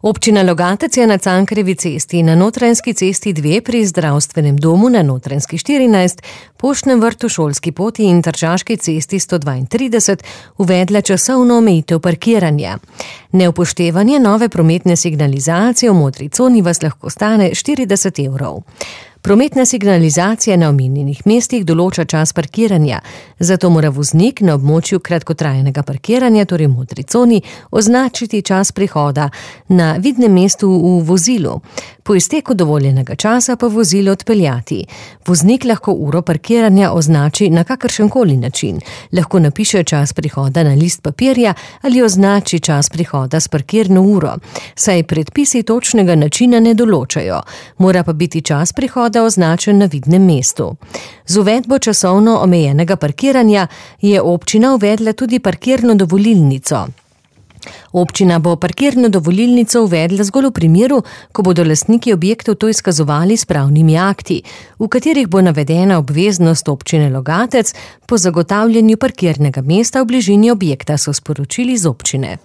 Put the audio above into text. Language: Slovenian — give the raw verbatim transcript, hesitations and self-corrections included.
Občina Logatec je na Cankarjevi cesti na Notranjski cesti dve pri zdravstvenem domu na Notranjski štirinajst, Poštnem vrtu, Šolski poti in Tržaški cesti sto dvaintrideset uvedla časovno omejitev parkiranja. Neupoštevanje nove prometne signalizacije v modri coni vas lahko stane štirideset evrov. Prometna signalizacija na omenjenih mestih določa čas parkiranja, zato mora voznik na območju kratkotrajnega parkiranja, torej v modri coni, označiti čas prihoda na vidnem mestu v vozilu. Po izteku dovoljenega časa pa vozilo odpeljati. Voznik lahko uro parkiranja označi na kakršenkoli način. Lahko napiše čas prihoda na list papirja ali označi čas prihoda s parkirno uro, saj predpisi točnega načina ne določajo. Mora pa biti čas prihoda označen na vidnem mestu. Z uvedbo časovno omejenega parkiranja je občina uvedla tudi parkirno dovolilnico. Občina bo parkirno dovolilnico uvedla zgolj v primeru, ko bodo lastniki objektov to izkazovali s pravnimi akti, v katerih bo navedena obveznost občine Logatec po zagotavljanju parkirnega mesta v bližini objekta, so sporočili z občine.